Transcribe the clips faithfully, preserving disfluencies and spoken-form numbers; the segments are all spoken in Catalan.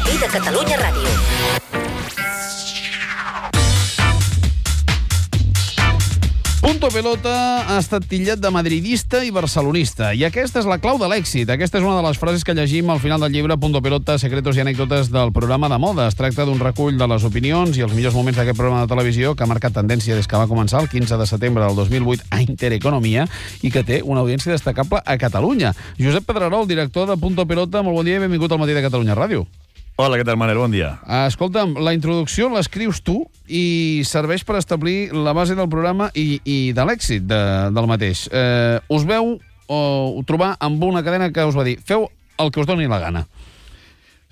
matí de Catalunya Ràdio. Punto Pelota ha estat titllat de madridista i barcelonista, i aquesta és la clau de l'èxit. Aquesta és una de les frases que llegim al final del llibre Punto Pelota, secretos i anècdotes del programa de moda. Es tracta d'un recull de les opinions i els millors moments d'aquest programa de televisió que ha marcat tendència des que va començar el quinze de setembre del dos mil vuit a Intereconomia i que té una audiència destacable a Catalunya. Josep Pedrerol, director de Punto Pelota, molt bon dia i benvingut al matí de Catalunya Ràdio. Hola, què tal, Manel? Bon dia. Escolta'm, la introducció l'escrius tu i serveix per establir la base del programa i, i de l'èxit de, del mateix. Eh, us veu o trobar amb una cadena que us va dir feu el que us doni la gana.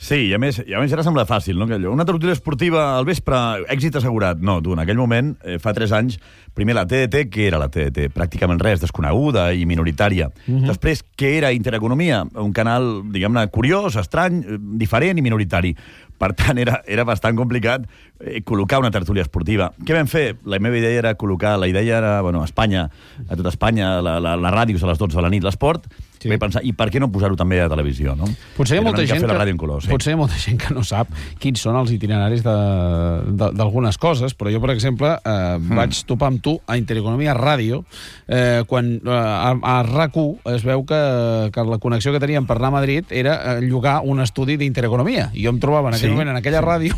Sí, i a més, i a més ara sembla fàcil, no? Una tertúlia esportiva al vespre, èxit assegurat. No, tu, en aquell moment, eh, fa tres anys, primer la T D T, què era la T D T? Pràcticament res, desconeguda i minoritària. Uh-huh. Després, què era Intereconomia? Un canal, diguem-ne, curiós, estrany, diferent i minoritari. Per tant, era, era bastant complicat eh, col·locar una tertúlia esportiva. Què vam fer? La meva idea era col·locar, la idea era, bueno, a Espanya, a tota Espanya, la, la, la ràdios a les dotze de la nit, l'esport, sí. Vaig pensar, i per què no posar-ho també a televisió, no? Potser hi ha molta gent que, la color, sí. potser hi ha molta gent que no sap quins són els itineraris d'algunes coses, però jo, per exemple, eh, mm. vaig topar amb tu a Intereconomia Ràdio, eh, quan eh, a, a R A C u es veu que, que la connexió que teníem per anar a Madrid era eh, llogar un estudi d'Intereconomia, i jo em trobava en aquell sí. moment en aquella ràdio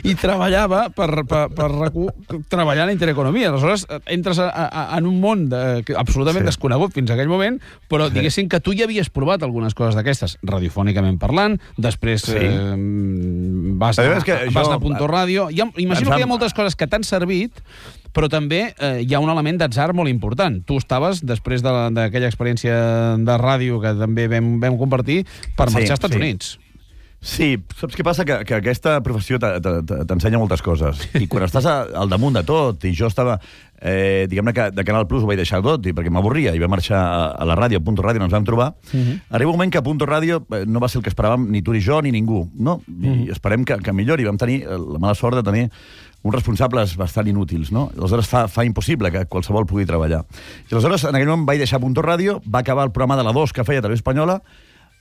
i treballava per, per, per R A C u treballant a Intereconomia. Aleshores, entres a, a, en un món de, absolutament sí. desconegut fins a aquell moment, però diguéssim que tu ja havies provat algunes coses d'aquestes, radiofònicament parlant, després sí. eh, vas, a, que vas jo... anar a Punto Ràdio. Hi ha, imagino que hi ha moltes coses que t'han servit, però també eh, hi ha un element d'atzar molt important. Tu estaves, després d'aquella experiència de ràdio que també vam, vam compartir, per marxar sí, als Estats sí. Units. Sí, saps què passa? Que, que aquesta professió t'ensenya moltes coses. I quan estàs al damunt de tot, i jo estava, eh, diguem-ne que de Canal Plus ho vaig deixar tot, i perquè m'avorria, i vam marxar a la ràdio, a Punto Ràdio, ens vam trobar, uh-huh. arriba un moment que a Punto Ràdio no va ser el que esperàvem ni tu ni jo ni ningú, no? Uh-huh. I esperem que, que millori. Vam tenir la mala sort de tenir uns responsables bastant inútils, no? Aleshores fa, fa impossible que qualsevol pugui treballar. I aleshores, en aquell moment, vaig deixar Punto Ràdio, va acabar el programa de la dos que feia Televisió Espanyola,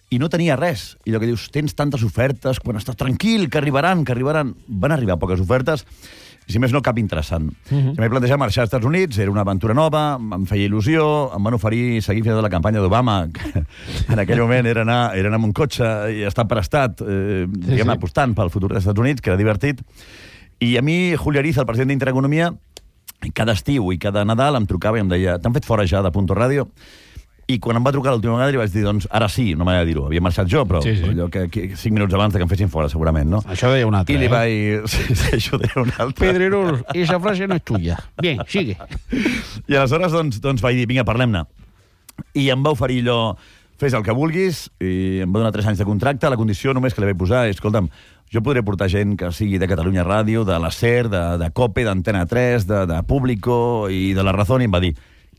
i no tenia res. I allò que dius, tens tantes ofertes, quan estàs tranquil, que arribaran, que arribaran... Van arribar poques ofertes, i si més no, cap interessant. Uh-huh. Si m'he plantejat marxar als Estats Units, era una aventura nova, em feia il·lusió, em van oferir seguir fins a la campanya d'Obama, que en aquell moment era anar, era anar amb un cotxe i estar per estat, eh, sí, diguem, sí. apostant pel futur dels Estats Units, que era divertit. I a mi, Julio Ariza, el president d'Intereconomia, cada estiu i cada Nadal em trucava i em deia, t'han fet fora ja de Punto Ràdio? I quan em va trucar l'última vegada li vaig dir, doncs, ara sí, no m'ha de dir-ho. Havia marxat jo, però, sí, sí. però allò que, que cinc minuts abans de que em fessin fora, segurament, no? Això deia un altre, I li eh? vaig... Sí, sí, això deia un altre. Pedrerol, esa frase no és tuya. Bien, sigue. I aleshores, doncs, doncs vaig dir, vinga, parlem-ne. I em va oferir allò, fes el que vulguis, i em va donar tres anys de contracte. La condició només que li vaig posar és, escolta'm, jo podré portar gent que sigui de Catalunya Ràdio, de la SER, de, de COPE, d'Antena tres, de, de Público i de La Razón, i em va dir,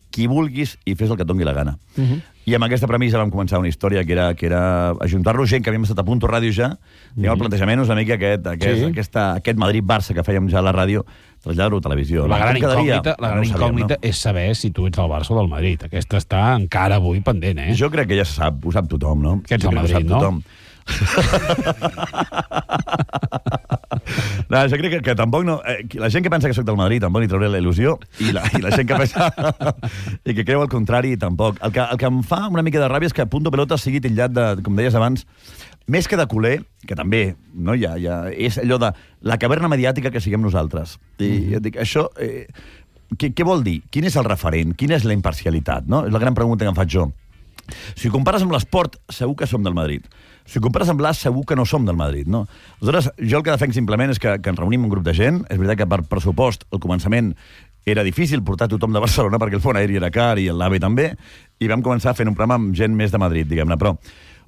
qui vulguis i fes el que et doni la gana. Uh-huh. I amb aquesta premissa vam començar una història que era, que era ajuntar-nos gent que havíem estat a Punto Ràdio ja, uh-huh. i el plantejament és una mica aquest, aquest, sí. aquesta, aquest Madrid-Barça que fèiem ja a la ràdio, traslladar-ho a televisió. La gran incògnita, la gran no incògnita sabem, no? és saber si tu ets del Barça o del Madrid. Aquesta està encara avui pendent, eh? Jo crec que ja se sap, ho sap tothom, no? Que ets del Madrid, no? No, jo crec que, que tampoc no... Eh, la gent que pensa que soc del Madrid tampoc li trauré la il·lusió, i la, i la gent que pensa i que creu el contrari tampoc. El que, el que em fa una mica de ràbia és que Punto Pelota sigui titllat de, com deies abans, més que de culer, que també, no, ja, ja, és allò de la caverna mediàtica que siguem nosaltres. I mm-hmm. et dic, això... Eh, què, què vol dir? Quin és el referent? Quina és la imparcialitat? No? És la gran pregunta que em faig jo. Si compares amb l'esport, segur que som del Madrid. Si compares amb l'As, segur que no som del Madrid, no? Aleshores, jo el que defenc simplement és que, que ens reunim un grup de gent. És veritat que per pressupost, al començament, era difícil portar tothom de Barcelona perquè el fons aeri era car i l'AVE també, i vam començar fent un programa amb gent més de Madrid, diguem-ne, però,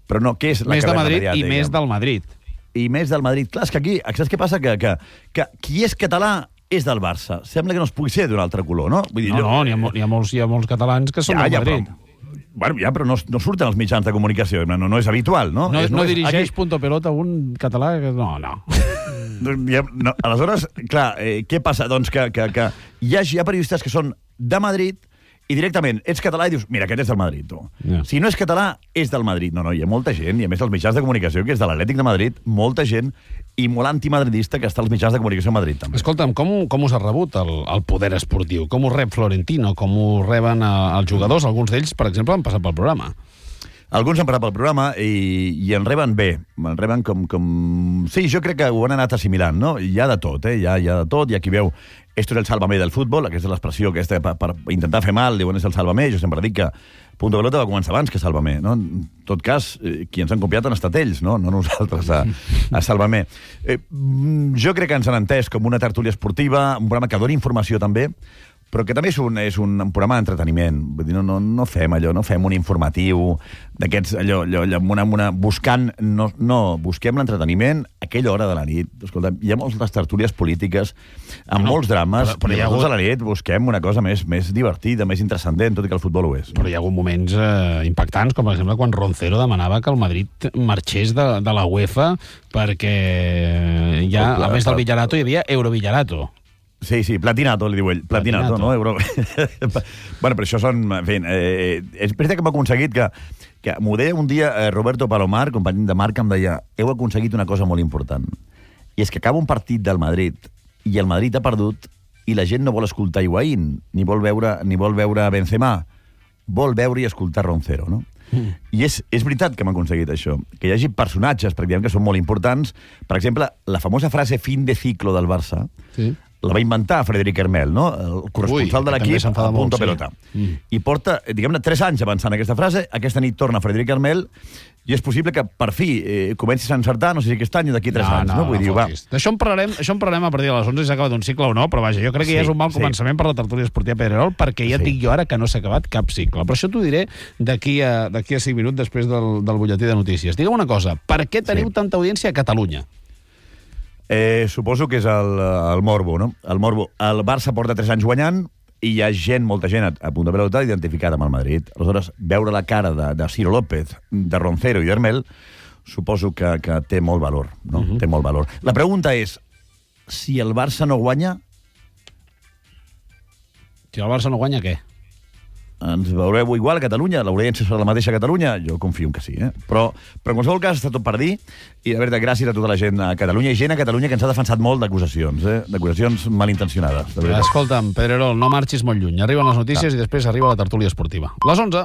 però no, què és la més de Madrid mediàtica, i més diguem? del Madrid. I més del Madrid. Clar, és que aquí, saps què passa? Que, que, que qui és català és del Barça. Sembla que no es pugui ser d'un altre color, no? Vull dir, no, jo... no, n'hi ha, hi ha, molts, hi ha molts catalans que són ja, del ja, Madrid. Però... Bueno, ja, però no, no surten els mitjans de comunicació, no, no és habitual, no? No, és, no, no és, dirigeix aquí... Punto Pelota un català? No, no. ja, no aleshores, clar, eh, què passa? Doncs que, que, que hi, ha, hi ha periodistes que són de Madrid i directament ets català i dius, mira, aquest és del Madrid, tu. Yeah. Si no és català, és del Madrid. No, no, hi ha molta gent, i a més els mitjans de comunicació, que és de l'Atlètic de Madrid, molta gent, i molt antimadridista que està als mitjans de comunicació a Madrid, també. Escolta'm, com, com us ha rebut el, el poder esportiu? Com us rep Florentino? Com us reben eh, els jugadors? Alguns d'ells, per exemple, han passat pel programa. Alguns han parat pel programa i, i en reben bé. En reben com, com... Sí, jo crec que ho han anat assimilant, no? Hi ha de tot, eh? Hi ha, hi ha de tot. Hi ha qui veu esto és el sálvame del futbol, aquesta és l'expressió aquesta per, per intentar fer mal, diuen és el sálvame. Jo sempre dic que Punto Pelota va començar abans que Sálvame, no? En tot cas, eh, qui ens han copiat han estat ells, no? No nosaltres a, a Sálvame. Eh, jo crec que ens han entès com una tertúlia esportiva, un programa que dona informació també, però que també és un, és un programa d'entreteniment. Vull dir, no, no, no fem allò, no fem un informatiu d'aquests, allò, allò, allò una, una, buscant... No, no busquem l'entreteniment a aquella hora de la nit. Escolta, hi ha moltes tertúlies polítiques, amb no, molts drames, però, però hi ha hagut... a la nit busquem una cosa més, més divertida, més intrascendent, tot i que el futbol ho és. Però hi ha hagut moments eh, impactants, com per exemple quan Roncero demanava que el Madrid marxés de, de la UEFA perquè ja, a més del Villarato, hi havia Eurovillarato. Sí, sí, platinato, li diu ell. Platinato, platinato. No? Euro... bueno, però això són... En fi, eh, és veritat que hem aconseguit que... que m'ho deia un dia eh, Roberto Palomar, company de Marca, em deia heu aconseguit una cosa molt important. I és que acaba un partit del Madrid i el Madrid ha perdut i la gent no vol escoltar Higuaín, ni vol veure, ni vol veure Benzema. Vol veure i escoltar Roncero, no? Mm. I és, és veritat que hem aconseguit això, que hi hagi personatges, perquè diguem que són molt importants. Per exemple, la famosa frase fin de ciclo del Barça, sí, la va inventar Frederic Hermel, no? El corresponsal Ui, de l'equip a Punto Pelota. Sí. Mm. I porta, diguem-ne, tres anys avançant aquesta frase. Aquesta nit torna Frederic Hermel i és possible que, per fi, eh, comencis a encertar, no sé si aquest any o d'aquí tres no, anys. No, no? Vull no, dir, va. D'això en parlarem, això en parlarem a partir de les onze, si s'ha acabat un cicle o no, però vaja, jo crec que sí, ja és un mal sí. començament per la tertúlia esportiva Pedrerol, perquè ja et sí. dic jo ara que no s'ha acabat cap cicle. Però això t'ho diré d'aquí a, d'aquí a cinc minuts després del, del butlletí de notícies. Digue'm una cosa, per què teniu sí. tanta audiència a Catalunya? Eh, suposo que és el, el morbo, no? El morbo. El Barça porta tres anys guanyant i hi ha gent, molta gent a, a Punto Pelota identificada amb el Madrid. Aleshores, veure la cara de, de Ciro López, de Roncero i d'Hermel, suposo que, que té molt valor, no? Uh-huh. Té molt valor. La pregunta és, si el Barça no guanya... Si el Barça no guanya, què? Ens veureu igual a Catalunya, l'audiència serà la mateixa a Catalunya? Jo confio que sí, eh? Però, però en qualsevol cas està tot per dir, i de veritat, gràcies a tota la gent a Catalunya, i gent a Catalunya que ens ha defensat molt d'acusacions, eh? D'acusacions malintencionades. Escolta'm, Pedrerol, no marxis molt lluny. Arriben les notícies no. i després arriba la tertúlia esportiva. Les onze.